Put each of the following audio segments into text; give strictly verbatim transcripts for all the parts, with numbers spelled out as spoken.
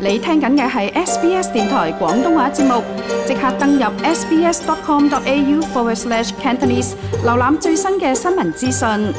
你聽緊嘅係 S B S 電台廣東話節目，即刻登入 sbs.com.au forward slash Cantonese， 瀏覽最新嘅新聞資訊。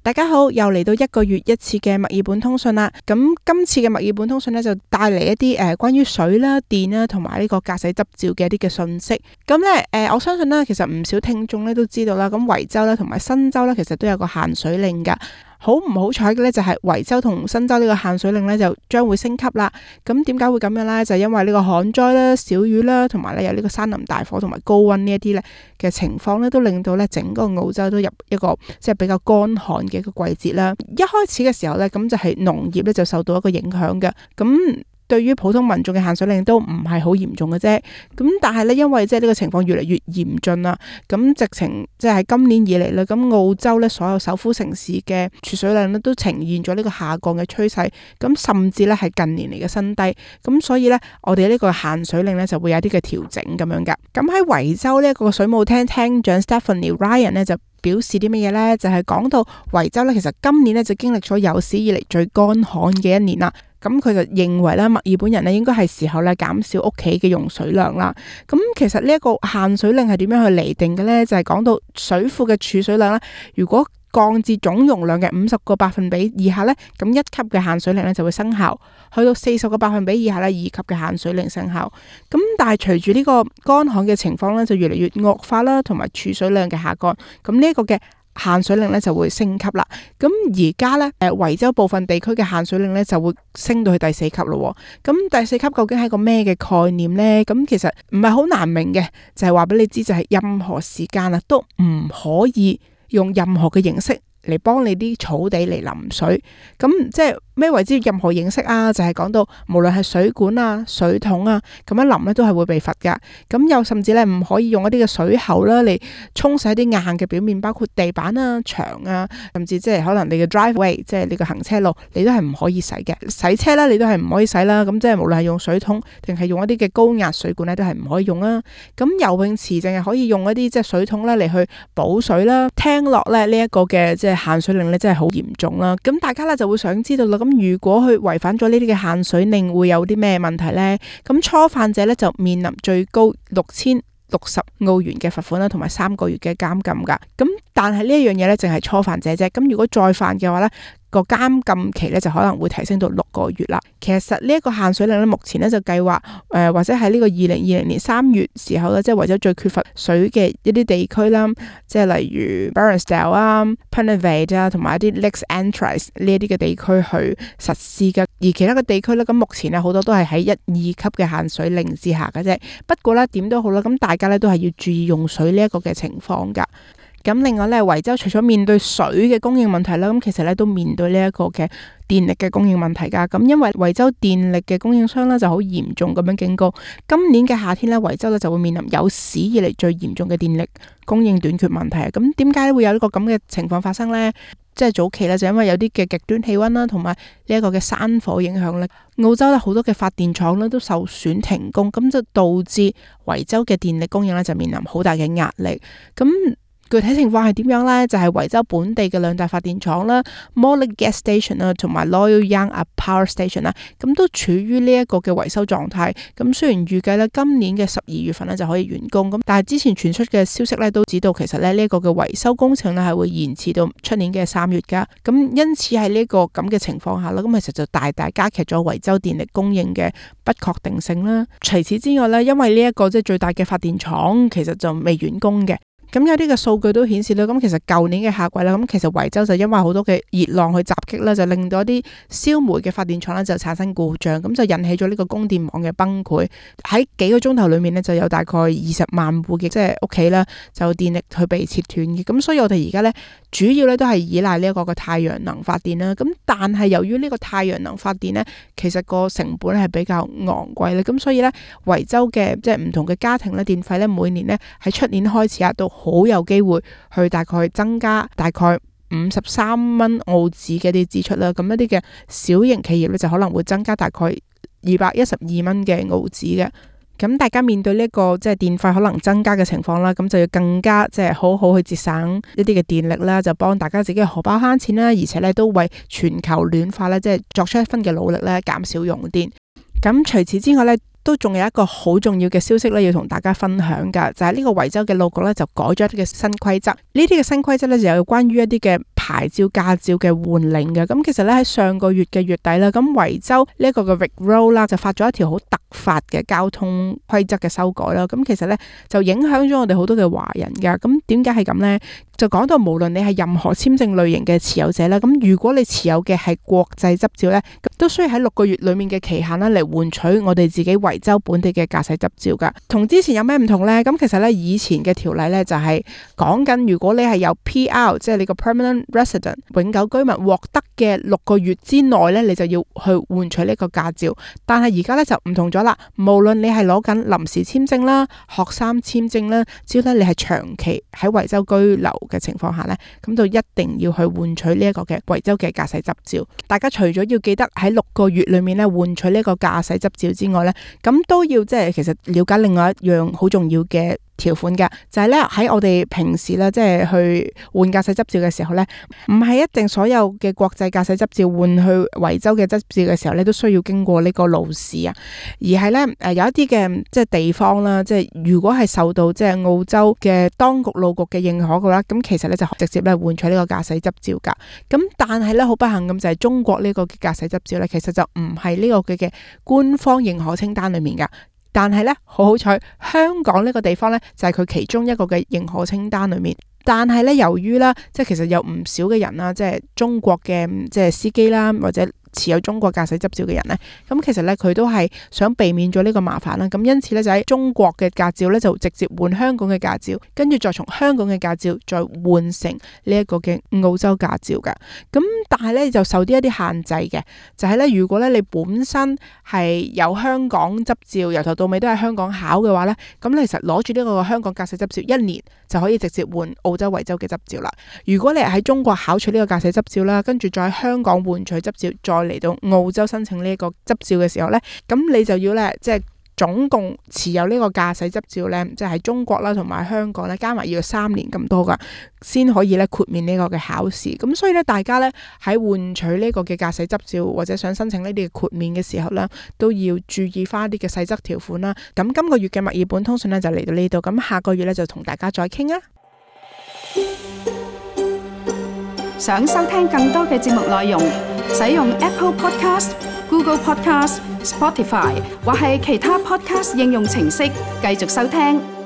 大家好，又嚟到一個月一次嘅墨爾本通訊啦。咁今次嘅墨爾本通訊呢，就帶嚟一啲誒、呃、關於水啦、電啦同埋呢個駕駛執照嘅一啲嘅信息。咁咧誒，我相信呢，其實唔少聽眾咧都知道啦。咁維州啦同埋新州咧，其實都有個限水令噶。好唔好彩嘅咧，就係維州同新州呢個限水令咧就將會升級啦。咁點解會咁樣咧？就係因為呢個旱災啦、小雨啦，同埋咧有呢個山林大火同埋高溫呢一啲咧嘅情況咧，都令到咧整個澳洲都入一個即係比較乾旱嘅一個季節啦。一開始嘅時候咧，咁就係農業咧就受到一個影響嘅。咁對於普通民眾嘅限水令都唔係好嚴重嘅啫，咁但係咧因為即係呢個情況越嚟越嚴峻啦，咁直情即係喺今年以嚟咧，咁澳洲咧所有首府城市嘅儲水量咧都呈現咗呢個下降嘅趨勢，咁甚至咧係近年嚟嘅新低，咁所以咧我哋呢個限水令咧就會有啲嘅調整咁樣噶。咁喺維州呢一個水務廳廳長 Stephanie Ryan 咧就表示啲乜嘢咧？就係、是、講到維州咧，其實今年咧就經歷咗有史以嚟最乾旱嘅一年啦。咁佢就認為咧，墨爾本人咧應該係時候咧減少屋企嘅用水量啦。咁其實呢一個限水令係點樣去釐定嘅咧？就係、是、講到水庫嘅儲水量咧，如果降至總容量嘅五十個百分比以下咧，咁一級嘅限水令咧就會生效；去到四十個百分比以下咧，二級嘅限水令生效。咁但係隨住呢個乾旱嘅情況咧，就越嚟越惡化啦，同埋儲水量嘅下降，咁呢一個嘅限水令咧就會升級啦。咁而家咧，誒維州部分地區嘅限水令咧就會升到去第四級咯。咁第四級究竟係個咩嘅概念咧？咁其實唔係好難明嘅，就係話俾你知，就係任何時間啊都唔可以用任何嘅形式嚟幫你啲草地嚟淋水。咁即係咩為之任何形式啊？就係、是、講到無論係水管啊、水桶啊，咁樣淋咧都係會被罰噶。咁又甚至咧唔可以用一啲嘅水喉啦嚟沖洗啲硬嘅表面，包括地板啊、牆啊，甚至即係可能你嘅 driveway， 即係你個行車路，你都係唔可以洗嘅。洗車啦，你都係唔可以洗啦。咁即係無論係用水桶定係用一啲嘅高壓水管咧，都係唔可以用啦。咁游泳池淨係可以用一啲即係水桶咧嚟去補水啦。聽落咧呢一個嘅即係限水令咧真係好嚴重啦。咁大家咧就會想知道啦。咁如果佢違反咗呢啲嘅限水令，會有啲咩問題呢？咁初犯者咧就面臨最高六千六十澳元嘅罰款啦，同埋三個月嘅監禁噶。咁但係呢一樣嘢咧，淨係初犯者啫。咁如果再犯嘅話咧，個監禁期咧就可能會提升到六個月啦。其實呢一個限水令咧，目前咧就計劃誒，或者喺呢個二零二零年三月時候咧，即係維州最缺乏水嘅一啲地區啦，即係例如 Bairnsdale 啊、Punnt Vale 啊，同埋一啲 Lakes Entrance 呢一啲嘅地區去實施嘅。而其他嘅地區咧，咁目前咧好多都係喺一、二級嘅限水令之下嘅啫。不過咧點都好啦，咁大家咧都係要注意用水呢一個嘅情況噶。咁另外咧，維州除咗面對水嘅供應問題啦，咁其實咧都面對呢一個嘅電力嘅供應問題噶。咁因為維州電力嘅供應商咧就好嚴重咁樣警告，今年嘅夏天咧，維州咧就會面臨有史以嚟最嚴重嘅電力供應短缺問題啊。咁點解會有呢個咁嘅情況發生呢？即係早期咧就因為有啲嘅極端氣溫啦，同埋呢一個嘅山火影響咧，澳洲咧好多嘅發電廠咧都受損停工，咁就導致維州嘅電力供應咧就面臨好大嘅壓力。咁具體情況係點樣呢？就係、是、維州本地嘅兩大發電廠啦 Morley Gas Station 啦，同埋 Loyal Young Power Station 啦，咁都處於呢一個嘅維修狀態。咁雖然預計咧今年嘅十二月份咧就可以完工，咁但係之前傳出嘅消息咧都指到其實咧呢一個嘅維修工程咧係會延遲到出年嘅三月噶。咁因此喺呢個咁嘅情況下啦，咁其實就大大加劇咗維州電力供應嘅不確定性啦。除此之外咧，因為呢一個即係最大嘅發電廠其實就未完工嘅。咁有啲嘅數據都顯示啦，咁其實舊年嘅夏季啦，咁其實維州就因為好多嘅熱浪去襲擊啦，就令到一啲燒煤嘅發電廠咧就產生故障，咁就引起咗呢個供電網嘅崩潰。喺幾個鐘頭裏面呢，就有大概二十萬戶嘅即係屋企啦，就電力去被切斷嘅。咁所以我哋而家咧主要咧都係依賴呢一個嘅太陽能發電啦。咁但係由於呢個太陽能發電咧，其實個成本係比較昂貴咧，咁所以咧維州嘅即係唔同嘅家庭咧電費咧每年咧喺出年開始啊都好有機會去大概增加大概五十三蚊澳紙嘅啲支出啦。咁一啲嘅小型企業咧就可能會增加大概二百一十二蚊嘅澳紙嘅。咁大家面對呢、這、一個即係電費可能增加嘅情況啦，咁就要更加即係好好去節省一啲嘅電力啦，就幫大家自己嘅荷包慳錢啦，而且咧都為全球暖化咧即係作出一分嘅努力咧，減少用電。咁除此之外咧，都仲有一個好重要嘅消息咧，要同大家分享噶，就係、是、呢個維州嘅路局咧就改咗一啲嘅新規則。呢啲嘅新規則咧就有關於一啲嘅牌照駕照嘅換領嘅。咁其實咧喺上個月嘅月底啦，咁維州呢一個嘅 Vic Road 啦就發咗一條好突發嘅交通規則嘅修改啦。咁其實咧就影響咗我哋好多嘅華人噶。咁點解係咁呢？就講到無論你係任何簽證類型嘅持有者啦，咁如果你持有嘅係國際執照咧，都需要喺六個月裏面嘅期限啦嚟換取我哋自己維州本地嘅駕駛執照噶。同之前有咩唔同呢？咁其實咧以前嘅條例咧就係講緊如果你係有 P R， 即係你個 permanent resident 永久居民獲得嘅六個月之內咧，你就要去換取呢個駕照。但係而家咧就唔同咗啦，無論你係攞緊臨時簽證啦、學生簽證啦，只要咧你係長期喺維州居留嘅情況下呢，咁就一定要去換取呢一個嘅維州嘅駕駛執照。大家除咗要記得喺六個月裏面咧換取呢個駕駛執照之外呢，咁都要即係其實了解另外一樣好重要嘅條款嘅，就係咧喺我哋平時咧即係去換駕駛執照嘅時候咧，唔係一定所有嘅國際駕駛執照換去維州嘅執照嘅時候咧都需要經過呢個路試啊，而係咧誒有一啲嘅即係地方啦，即係如果係受到即係澳洲嘅當局路局嘅認可嘅話，咁其實咧就直接咧換取呢個駕駛執照噶。咁但係咧好不幸咁就係中國呢個嘅駕駛執照咧，其實就唔係呢個嘅嘅官方認可清單裏面噶。但係咧，好好彩，香港呢個地方咧就係佢其中一個嘅認可清單裏面。但係咧，由於啦，即係其實有唔少嘅人啦，即係中國嘅即係司機啦，或者持有中國駕駛執照嘅人咧，咁其實咧佢都係想避免咗呢個麻煩啦。咁因此咧就喺中國嘅駕照咧就直接換香港嘅駕照，跟住再從香港嘅駕照再換成呢一個嘅澳洲駕照噶。咁但係咧就受啲一啲限制嘅，就係咧如果咧你本身係有香港執照，由頭到尾都係香港考嘅話咧，咁你其實攞住呢個香港駕駛執照一年就可以直接換澳洲維州嘅執照啦。如果你係喺中國考取呢個駕駛執照啦，跟住再喺香港換取執照，再嚟到澳洲申請呢一個執照嘅時候呢，咁你就要咧，即係總共持有呢個駕駛執照呢，即係喺中國啦同埋香港咧，加埋要三年咁多噶，先可以咧豁免呢個嘅考試。咁所以咧，大家咧喺換取呢個嘅駕駛執照或者想申請呢啲嘅豁免嘅時候咧，都要注意翻啲嘅細則條款啦。咁今個月嘅墨爾本通訊咧就嚟到呢度，咁下個月咧就同大家再傾啊。想收聽更多嘅節目內容，使用 Apple Podcast、Google Podcast、Spotify 或係其他 Podcast 應用程式繼續收聽。